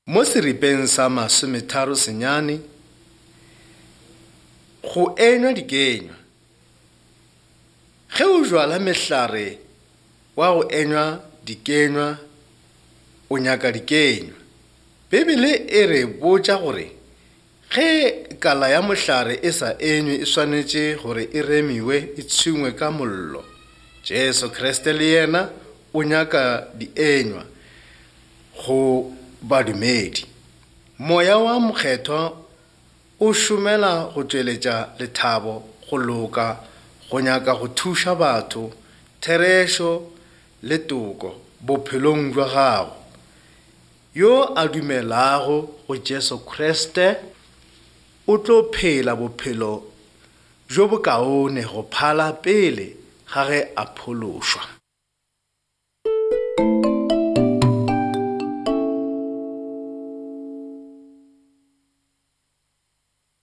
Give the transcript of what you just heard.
Mo seripeng sa 39 go enywa dikenywa. Ge o jwala mehlare wa go enywa dikenywa, o nyaka dikenywa. Bibele e re botša gore ge kala ya mohlare e sa enywe e swanetše gore e remiwe e tshungwe ka mollo. Jesu Kriste le yena o nyaka dienywa go badumedi. Moya wa Mokgethwa o šomela go tšweletša lethabo, go loka, go nyaka go thuša batho, therešo le toko bophelong bja gago. Yo a dumelago go Jesu Kriste o tlo phela bophelo bjo bokaone go phala pele ga ge a phološwa.